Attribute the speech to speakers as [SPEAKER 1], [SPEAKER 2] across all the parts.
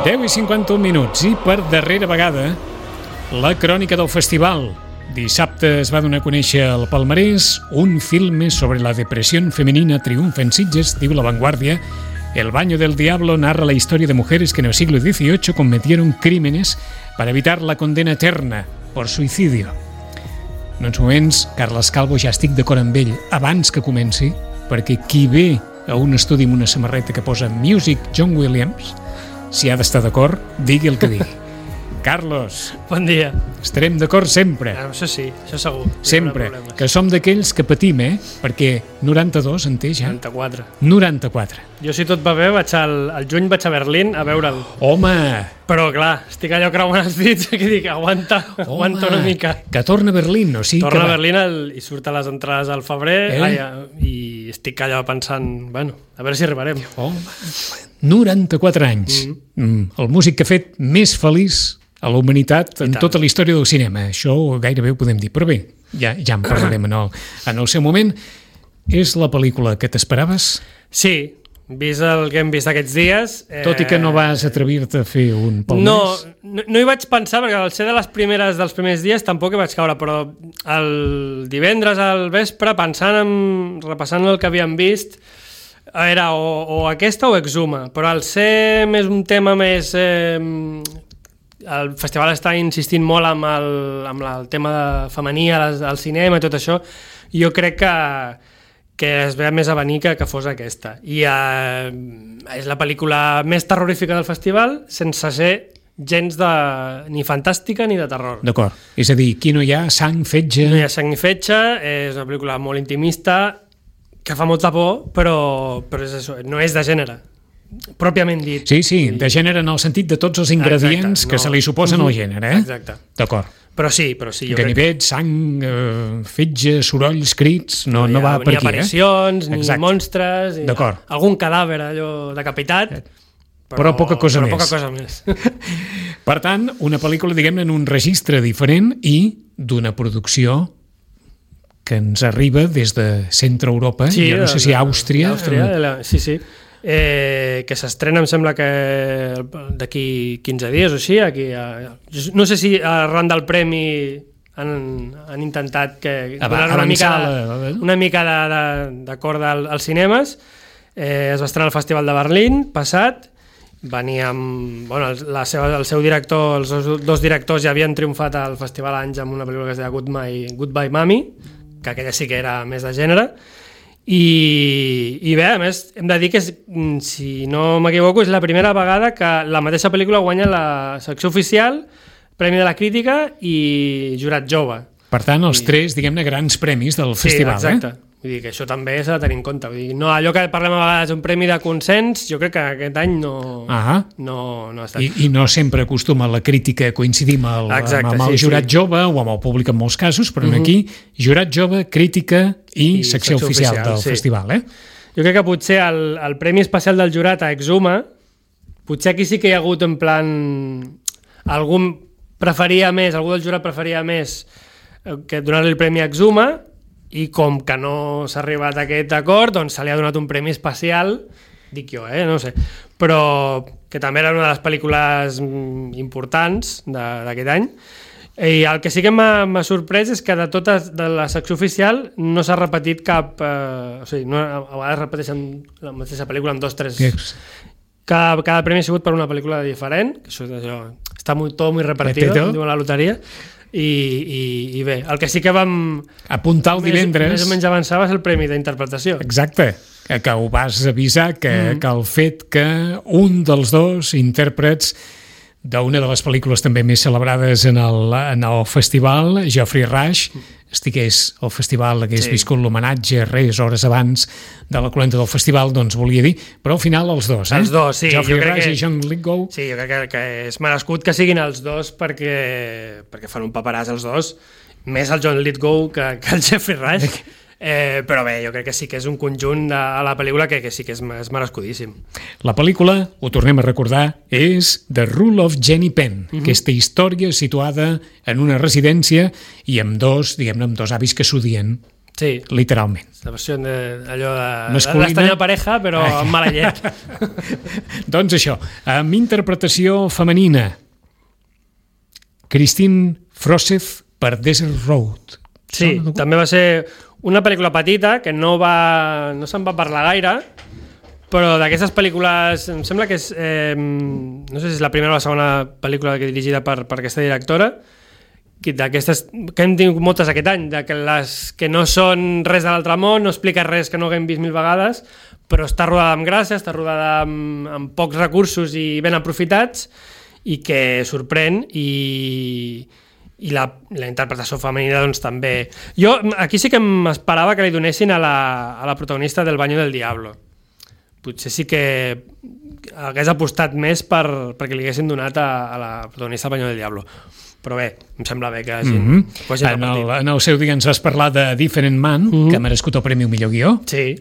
[SPEAKER 1] 10:51 i per darrera vegada la crònica del festival. Dissabte es va donar a conèixer el palmarès un filme sobre la depresión femenina triunfa en Sitges, diu La Vanguardia. El baño del diablo narra la historia de mujeres que en el siglo XVIII cometieron crímenes para evitar la condena eterna por suicidio. En uns moments, Carles Calvo, ja estic d'acord amb ell abans que comenci, perquè qui ve a un estudi amb una samarreta que posa Music John Williams, si ha d'estar d'acord, digui el que digui. Carlos.
[SPEAKER 2] Bon dia.
[SPEAKER 1] Estarem d'acord sempre.
[SPEAKER 2] Això sí, això segur.
[SPEAKER 1] Sempre. Que som d'aquells que patim, Perquè 92 en té ja? 94.
[SPEAKER 2] Jo, si tot va bé, al juny vaig a Berlín a veure'l.
[SPEAKER 1] Home!
[SPEAKER 2] Però, clar, estic allò creuant els dits que dic, aguanta una mica.
[SPEAKER 1] Que torna a Berlín, o sigui
[SPEAKER 2] torna
[SPEAKER 1] que...
[SPEAKER 2] a Berlín i surt a les entrades al febrer i estic allò pensant, a veure si arribarem.
[SPEAKER 1] Home, 94 anys. El músic que ha fet més feliç a la humanitat en tota la història del cinema. Això gairebé ho podem dir, però bé, ja en parlarem en el seu moment. És la pel·lícula que t'esperaves?
[SPEAKER 2] Sí, vist el que hem vist aquests dies...
[SPEAKER 1] Tot i que no vas atrevir-te a fer un palmarès?
[SPEAKER 2] No hi vaig pensar, perquè al ser dels primers dies tampoc hi vaig caure, però el divendres al vespre, repassant el que havíem vist, era o aquesta o Exuma, però al ser més un tema més... el festival està insistint molt amb el tema femení al cinema i tot això, jo crec que es ve més a venir que fos aquesta. I és la pel·lícula més terrorífica del festival, sense ser gens ni fantàstica ni de terror.
[SPEAKER 1] D'acord. És a dir, aquí no hi ha sang, fetge...
[SPEAKER 2] No hi ha sang ni fetge, és una pel·lícula molt intimista, que fa molta por, però és això, no és de gènere, pròpiament dit.
[SPEAKER 1] Sí, de gènere en el sentit de tots els ingredients que se li suposen al gènere.
[SPEAKER 2] Exacte.
[SPEAKER 1] D'acord.
[SPEAKER 2] Però sí.
[SPEAKER 1] Ganivet, sang, fetge, sorolls, crits, no va per aquí.
[SPEAKER 2] Ni aparicions, ni monstres, algun cadàver allò decapitat,
[SPEAKER 1] però poca cosa més. Per tant, una pel·lícula, diguem-ne, en un registre diferent i d'una producció que ens arriba des de Centre Europa, jo no sé si Àustria...
[SPEAKER 2] Sí. Que s'estrena, em sembla que d'aquí 15 dies o així, no sé si arran del premi han intentat donar una mica d'acord als cinemes. Es va estrenar al Festival de Berlín passat, venia amb el seu director, els dos directors ja havien triomfat al Festival anys amb una pel·lícula que es deia Goodbye Mami, que aquella sí que era més de gènere. I bé, a més, hem de dir que, si no m'equivoco, és la primera vegada que la mateixa pel·lícula guanya la secció oficial, Premi de la Crítica i Jurat Jove.
[SPEAKER 1] Per tant, els tres, diguem-ne, grans premis del festival.
[SPEAKER 2] Sí, exacte. Vull dir que això també s'ha de tenir en compte. Vull dir, no, allò que parlem a vegades d'un premi de consens, jo crec que aquest any no ha estat.
[SPEAKER 1] I no sempre acostuma la crítica a coincidir amb el jurat jove o amb el públic en molts casos, però aquí jurat jove, crítica i secció oficial del festival.
[SPEAKER 2] Jo crec que potser el premi especial del jurat a Exuma, potser aquí sí que hi ha hagut en plan algú del jurat preferia més que donar-li el premi a Exuma, i com que no s'ha arribat a aquest acord, doncs se li ha donat un premi especial, dic jo, no sé, però que també era una de les pel·lícules importants d'aquest any. I el que sí que m'ha sorprès és que de la secció oficial no s'ha repetit cap... a vegades repeteixen la mateixa pel·lícula amb 2 o 3... Cada premi ha sigut per una pel·lícula diferent, que això està tot molt repartido, diu la loteria. I bé, el que sí que vam
[SPEAKER 1] apuntar el divendres
[SPEAKER 2] més o menys avançava és el premi d'interpretació.
[SPEAKER 1] Exacte, que ho vas avisar que el fet que un dels dos intèrprets d'una de les pel·lícules també més celebrades en el festival, Geoffrey Rush, estigués al festival, hagués viscut l'homenatge hores abans de la cloenda del festival, doncs volia dir, però al final els dos,
[SPEAKER 2] Els dos, sí.
[SPEAKER 1] Geoffrey Rush i John Lithgow.
[SPEAKER 2] Sí, jo crec que és merescut que siguin els dos perquè fan un paperàs els dos, més el John Lithgow que el Geoffrey Rush. Però bé, jo crec que sí que és un conjunt de la pel·lícula que sí que és merescudíssim.
[SPEAKER 1] La pel·lícula, ho tornem a recordar, és The Rule of Jenny Penn, aquesta història situada en una residència i amb dos avis que s'odien.
[SPEAKER 2] Sí.
[SPEAKER 1] Literalment.
[SPEAKER 2] La versió allò de
[SPEAKER 1] Masculina.
[SPEAKER 2] l'estranya pareja, però amb mala llet.
[SPEAKER 1] Doncs això, amb interpretació femenina, Christine Froseth per Desert Road.
[SPEAKER 2] Sí, també va ser una pel·lícula petita que no se'n va parlar gaire, però d'aquestes pel·lícules em sembla que és no sé si és la primera o la segona pel·lícula dirigida per aquesta directora, d'aquestes que hem tingut moltes aquest any, de que les que no són res de l'altre món, no explica res que no haguem vist 1000 vegades, però està rodada amb gràcia, està rodada amb pocs recursos i ben aprofitats, i que sorprèn, i la interpretació femenina doncs també. Jo aquí sí que m'esperava que li donessin a la protagonista del Baño del Diablo. Potser sí que hagués apostat més perquè li haguessin donat a la protagonista del Baño del Diablo. Però bé, em sembla bé que hagin repartit.
[SPEAKER 1] En el seu dia ens vas parlar de Different Man, que ha merescut el Premi al millor guió.
[SPEAKER 2] Sí,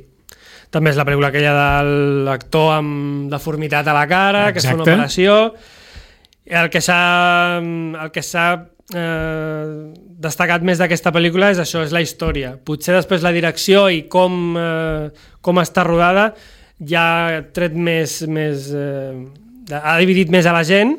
[SPEAKER 2] també és la pel·lícula aquella de l'actor amb deformitat a la cara, que es fa una operació. El que s'ha destacat més d'aquesta pel·lícula és això, és la història. Potser després la direcció i com està rodada ja ha tret més ha dividit més a la gent,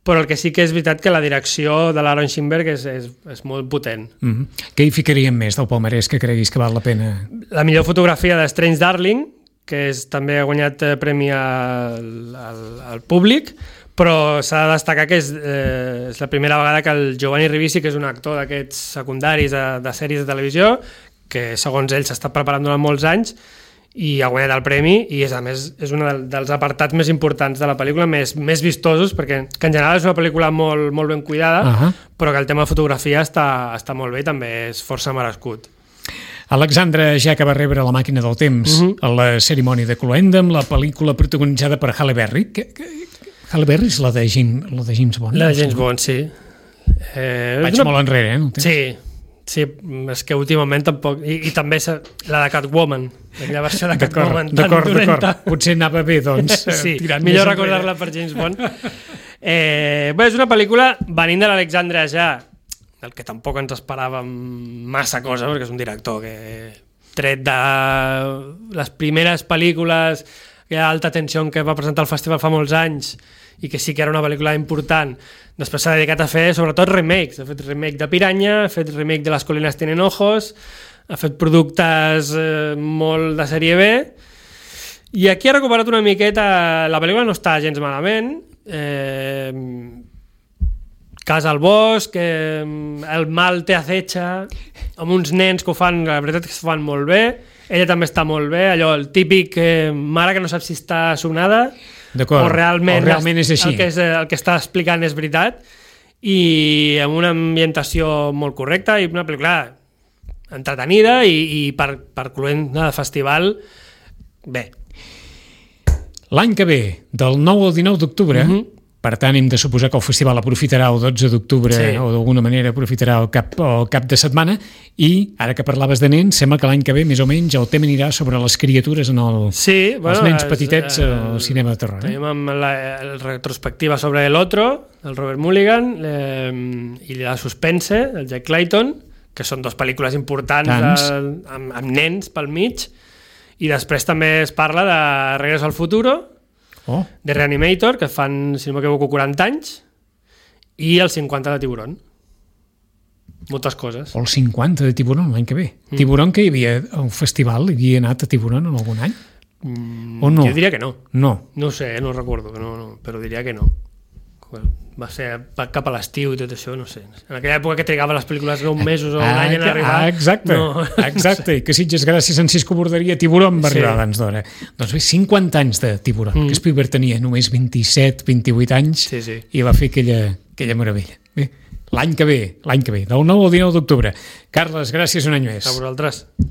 [SPEAKER 2] però el que sí que és veritat que la direcció de l'Aaron Schimberg és molt potent.
[SPEAKER 1] Què hi ficaríem més del palmarès que creguis que val la pena?
[SPEAKER 2] La millor fotografia de Strange Darling, que també ha guanyat premi al públic, però s'ha de destacar que és la primera vegada que el Giovanni Ribisi, que és un actor d'aquests secundaris de sèries de televisió, que segons ell s'ha estat preparant durant molts anys, i ha guanyat el premi, i a més és un dels apartats més importants de la pel·lícula, més vistosos, perquè que en general és una pel·lícula molt, molt ben cuidada, però que el tema de fotografia està molt bé i també és força merescut.
[SPEAKER 1] Alexandra Jaca va rebre la màquina del temps a la cerimònia de Cloenda, amb la pel·lícula protagonitzada per Halle Berry. Halle Berry és la de James Bond?
[SPEAKER 2] La de James Bond, sí.
[SPEAKER 1] Vaig molt enrere,
[SPEAKER 2] Sí, sí, és que últimament tampoc... I també la de Catwoman, la versió de Catwoman tan dolenta.
[SPEAKER 1] D'acord. Potser anava bé, doncs,
[SPEAKER 2] sí, millor recordar-la per James Bond. Bé, és una pel·lícula venint de l'Alexandre Aja, del que tampoc ens esperàvem massa cosa, perquè és un director que tret de les primeres pel·lícules d'alta tensió que va presentar al festival fa molts anys, i que sí que era una pel·lícula important, després s'ha dedicat a fer sobretot remakes. Ha fet remake de Piranha, ha fet remake de Las colinas tienen ojos, ha fet productes molt de sèrie B, i aquí ha recuperat una miqueta. La pel·lícula no està gens malament, Casa al bosc, el mal te acecha, amb uns nens que ho fan, la veritat és que ho fan molt bé, ella també està molt bé, allò, el típic mare que no sap si està sonada o realment
[SPEAKER 1] és així.
[SPEAKER 2] El que està explicant és veritat, i amb una ambientació molt correcta, i una pel·lícula entretenida, i per Cloenda de festival, bé.
[SPEAKER 1] L'any que ve, del 9 al 19 d'octubre, per tant hem de suposar que el festival aprofitarà el 12 d'octubre, o d'alguna manera aprofitarà el cap de setmana, i ara que parlaves de nens, sembla que l'any que ve més o menys el tema anirà sobre les criatures en els nens petitets al cinema de terror.
[SPEAKER 2] Tenim amb la retrospectiva sobre El Otro, el Robert Mulligan, i la Suspense, el Jack Clayton, que són dues pel·lícules importants amb nens pel mig, i després també es parla de Regreso al Futuro, de Reanimator, que fan, si no m'equivoco, 40 anys, i el 50 de Tiburón. Moltes coses.
[SPEAKER 1] O el 50 de Tiburón l'any que ve. Tiburón, que hi havia un festival, hi havia anat a Tiburón en algun any? O no?
[SPEAKER 2] Jo diria que no.
[SPEAKER 1] No
[SPEAKER 2] ho sé, no recordo, però diria que no. Va ser cap a l'estiu i tot això, no sé. En aquella època que trigaven les pel·lícules 9 mesos o un any en arribar...
[SPEAKER 1] Exacte, i que Sitges, gràcies a Cisco Borderia, Tiburón va arribar abans d'hora. Doncs bé, 50 anys de Tiburón, que Spielberg tenia només 27, 28 anys, i va fer aquella meravella. Bé, l'any que ve, del 9 al 19 d'octubre. Carles, gràcies un any més.
[SPEAKER 2] A vosaltres.